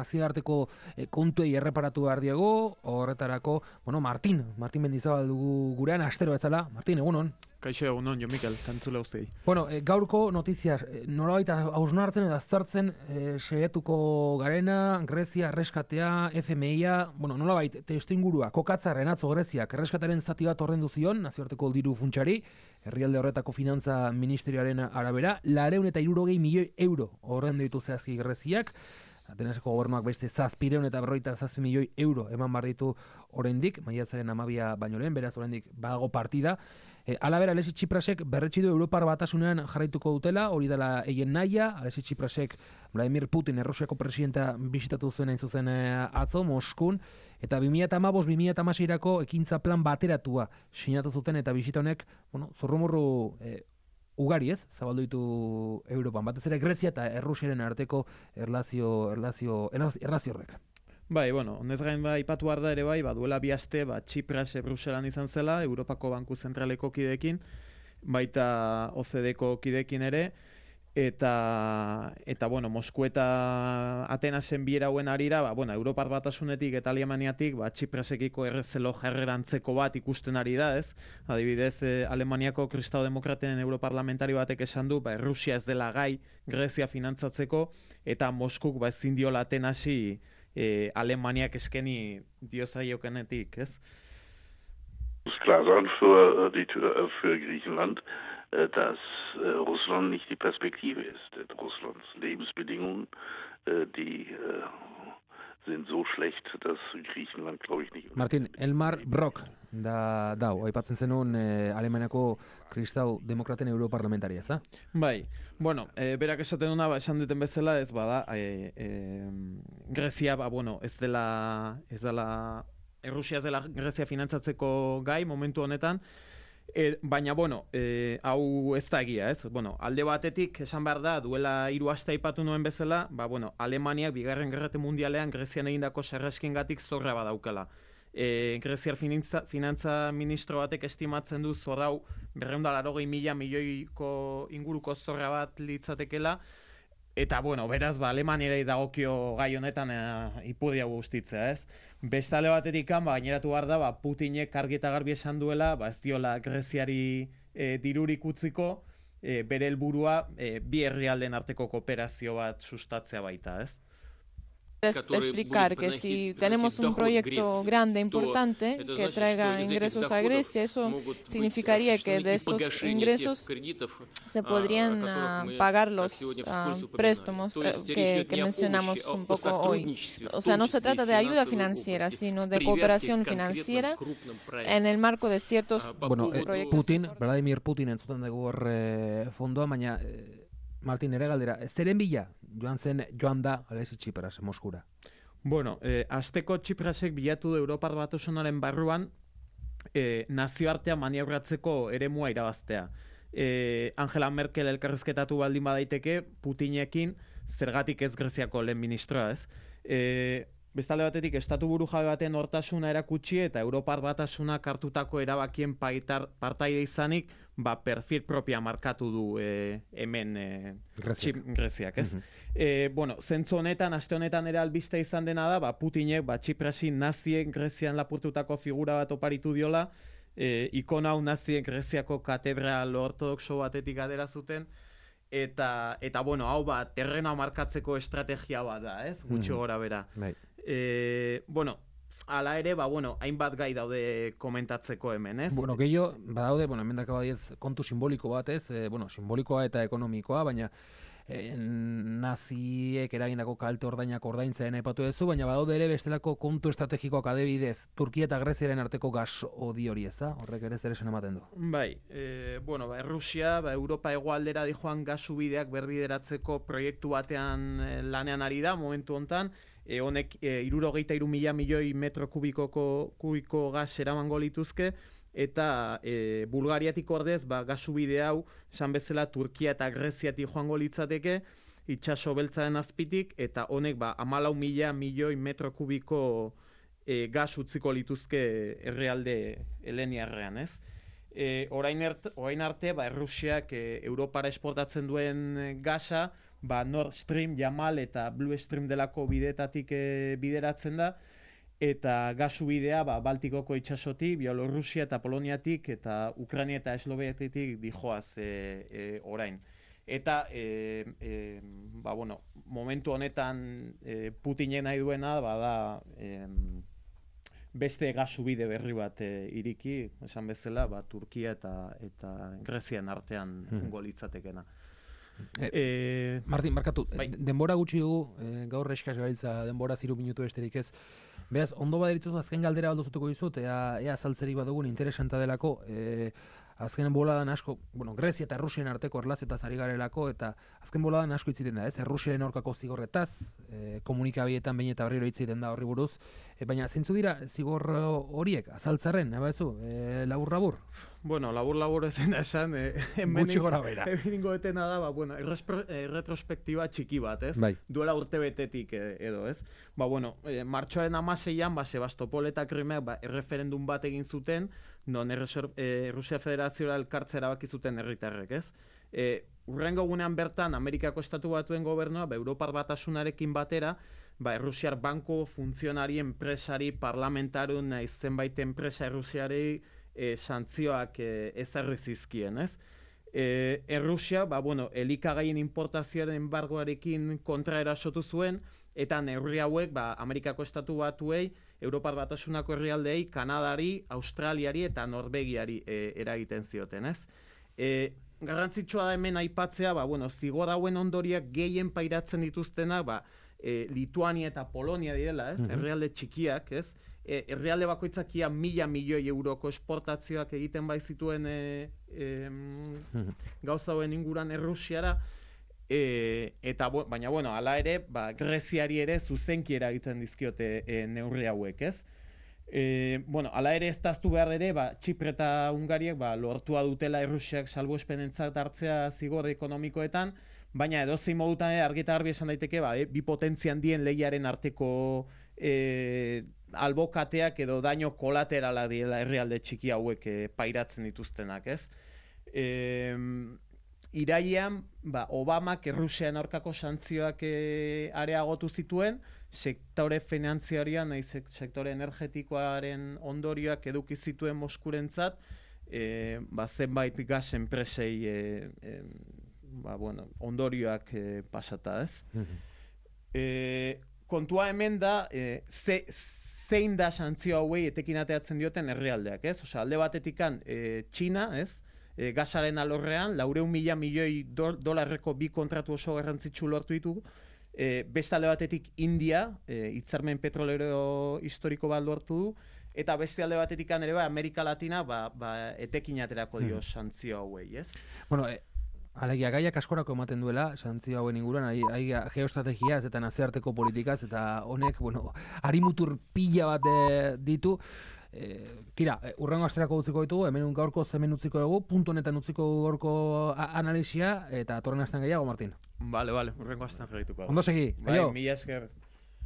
nazioarteko kontuei erreparatu behar diego, horretarako, Martin Mendizabal dugu gurean, astero bezala. Martin, egunon. Kaixo egunon, Jo Mikel, kantzula ustei. Gaurko notiziaz, nolabait hausnartzen edo aztertzen saiatuko garena, Grezia, erreskatea, FMI-a, nolabait testuingurua, kokatzarren atzo Greziak erreskataren zati bat ordendu zion, nazioarteko diru funtsari, herrialde horretako finantza ministerioaren arabera, 260 milioi euro ordendu ditu zehazki Greziak, Atenaseko gobernuak beste 757 milioi euro eman behar ditu oraindik, maiatzaren 12 baino lehen, beraz oraindik badago partida. Alabera, Alexis Tsiprasek berretsi du Europar Batasunean jarraituko dutela, hori dela eien nahia. Alexis Tsiprasek Vladimir Putin, Errusiako presidenta bisitatu zuen hain zuzen atzo, Moskun, eta 2015-2016-erako ekintza plan bateratua sinatu zuten, eta bisita honek, zurrumurru ugari ez, zabaldu ditu Europan, batez ere Grezia eta Errusiaren arteko erlazio horrek. Bai, honez gain aipatu behar da ere bai, duela 2 aste, Tsipras Bruselan izan zela, Europako Banku Zentraleko kideekin, baita OCDeko kideekin ere, eta Mosku eta Atenasen bierauen arira, Europar Batasunetik eta Alemaniatik, Tsiprasekiko errezelo jarrerantzeko bat ikusten ari da, ez? Adibidez, Alemaniako Kristau Demokraten europarlamentari batek esan du, Errusia ez dela gai Grezia finantzatzeko, eta Moskuk ezin diola Atenasi Alemaniak eskeni diozaiokenetik, ez? Es muss klar sein für Griechenland, dass Russland nicht die Perspektive ist. Russlands Lebensbedingungen, die sind so schlecht, dass Griechenland, glaube ich, nicht... Martin, Elmar Brok, dau, aipatzen zenun Alemaniako Kristau Demokraten europarlamentaria, za? Bai, berak esaten duna, esan duten bezala, ez bada, Grezia, ez dela, Errusia ez dela Grezia finantzatzeko gai momentu honetan, baina, hau ez da egia, ez? Alde batetik, esan behar da, duela 3 aste aipatu nuen bezala, Alemaniak Bigarren Gerra Mundialean Grezian egindako sarraskengatik zorra badaukala. Greziar finantza ministro batek estimatzen du zorrau 280.000 milioiko inguruko zorra bat litzatekela, eta, beraz, Alemaniari dagokio gai honetan ipudia guztitzea, ez? Beste alde batetik, gaineratu behar da, Putinek argi eta garbi esan duela, ez diola Greziari dirurik utziko, bere helburua bi herrialdeen arteko kooperazio bat sustatzea baita, ez? Explicar que si tenemos un proyecto grande, importante, que traiga ingresos a Grecia, eso significaría que de estos ingresos se podrían pagar los préstamos que mencionamos un poco hoy. O sea, no se trata de ayuda financiera, sino de cooperación financiera en el marco de ciertos proyectos. Vladimir Putin entzuten dugu fondoa, baina Martin, ere galdera, zeren bila joan da Alexis Tsipras Moskura? Asteko Tsiprasek bilatu du Europar Batasunaren barruan nazioartea maniabratzeko eremua irabaztea. Angela Merkel elkarrizketatu baldin badaiteke Putinekin zergatik ez Greziako lehen ministroa, ez? Bestalde batetik, estatu buru jabe baten hortasuna erakutsi eta Europar Batasunak hartutako erabakien partaide izanik, perfil propia markatu du hemen Greziak, ez? Zentzu honetan, aste honetan ere albiste izan dena da, Putinek, Tsiprasi nazien Grezian lapurtutako figura bat oparitu diola, ikona hau nazien Greziako katedral ortodoxo batetik adera zuten, eta hau terrena markatzeko estrategia bat da, ez? Gutxi gora bera. Hala ere, hainbat gai daude komentatzeko hemen, ez? Gehiago, badaude, hemen dakabadiez kontu simboliko bat, ez? Simbolikoa eta ekonomikoa, baina naziek eragindako kalte ordainak ordaintzaren aipatu duzu, baina badaude ere bestelako kontu estrategikoak adibidez, Turkia eta Greziaren arteko gas odi hori, ez da? Horrek ere zer esan ematen du. Bai, Errusia, Europa hegoaldera dijoan gasubideak berbideratzeko proiektu batean lanean ari da, momentu hontan, honek 63.000 milioi metro kubiko gas eramango lituzke, eta Bulgariatik ordez, gasubide hau, esan bezala Turkia eta Greziatik joango litzateke, itsaso beltzaren azpitik, eta honek 14.000 milioi metro kubiko gas utziko lituzke herrialde heleniarrean, ez? Orain arte, Errusiak Europara esportatzen duen gasa, Nord Stream, Yamal eta Blue Stream delako bideetatik bideratzen da, eta gasu bidea Baltikoko itsasotik, Bielorrusia eta Poloniatik, eta Ukraina eta Esloveniatik dijoaz orain. Eta, momentu honetan Putinen nahi duena, da beste gasubide berri bat iriki, esan bezala, Turkia eta Grezian artean golitzatekena. Martin, markatu, denbora gutxi dugu, gaur eskas gabiltza denbora 3 minutu besterik ez. Beraz, ondo baderitzuz azken galdera aldozutuko dizut, ea azaltzerik badugun interesanta delako, azken boladan asko, Grezia eta Rusian arteko erlazetaz ari garelako, eta azken boladan asko itziten da, ez? Rusiaren aurkako zigorretaz, komunikabietan behin eta berriro itziten da horri buruz, baina zeintzu dira zigor horiek, azaltzarren, labur-labur? Labur-labur ezin da esan, gutxi gora bera. Egingo etena da, retrospektiba txiki bat, ez? Bai. Duela urtebetetik edo, ez? Martxoaren 16an, Sebastopol eta Krimeak erreferendum bat egin zuten, non Rusia Federazioa elkartzea erabaki zuten herritarrek, ez? Hurrengo gunean bertan, Amerikako Estatu Batuen gobernua, Europar Batasunarekin batera, Errusiar banko, funtzionari, enpresari, parlamentarun, zenbait enpresa Errusiari santzioak ezarri zizkien, ez? Errusia, elikagaien importazioaren embargoarekin kontra erasotu zuen, eta neurri hauek, Amerikako Estatu Batuei, Europar Batasunako herrialdeei, Kanadari, Australiari eta Norvegiari eragiten zioten, ez? Garrantzitsua da hemen aipatzea, zigor hauen ondoriak gehien pairatzen dituztenak, Lituania eta Polonia direla, ez? Herrialde txikiak, ez? Herrialde bakoitzak ia 1.000 milioi euroko esportazioak egiten baizituen gauza hauen inguruan Errusiara, baina, hala ere, Greziari ere zuzenki eragiten dizkiote neurri hauek, ez? Hala ere, ez daztu behar ere, Txipre eta Hungariak lortua dutela Errusiak salbuespenentzat hartzea zigor ekonomikoetan, baina edozein modutan argi eta garbi esan daiteke, bi potentzia handien lehiaren arteko albokateak edo daño kolaterala direla herrialde txiki hauek pairatzen dituztenak, ez? Irailean, Obamak Errusian aurkako santzioak areagotu zituen, sektore finanziarioan, nahiz sektore energetikoaren ondorioak eduki zituen Moskurentzat, zenbait gas enpresei ondorioak pasata, ez? Kontua hemen da, zein da santzio hauei etekin ateatzen dioten herrialdeak, ez? Alde batetikan Txina, ez? Gasaren alorrean, 400.000 milioi dolarreko bi kontratu oso garrantzitsu lortu ditu, beste alde batetik India, hitzarmen petrolero historiko bat lortu du, eta beste alde batetikan ere Amerika Latina etekin aterako dio santzio hauei, ez? Alegia, gaiak askorako ematen duela, santzio hauen inguruan, geoestrategiaz eta nazioarteko politikaz, eta honek, harimutur pila bat ditu. Tira, urrengo asterako utziko ditugu, hemen gaurko hemen utziko dugu, puntu honetan utziko gaurko analisia, eta torren astean gehiago, Martin. Vale, urrengo astean jarraituko. Ondo segi, aio. Mila esker.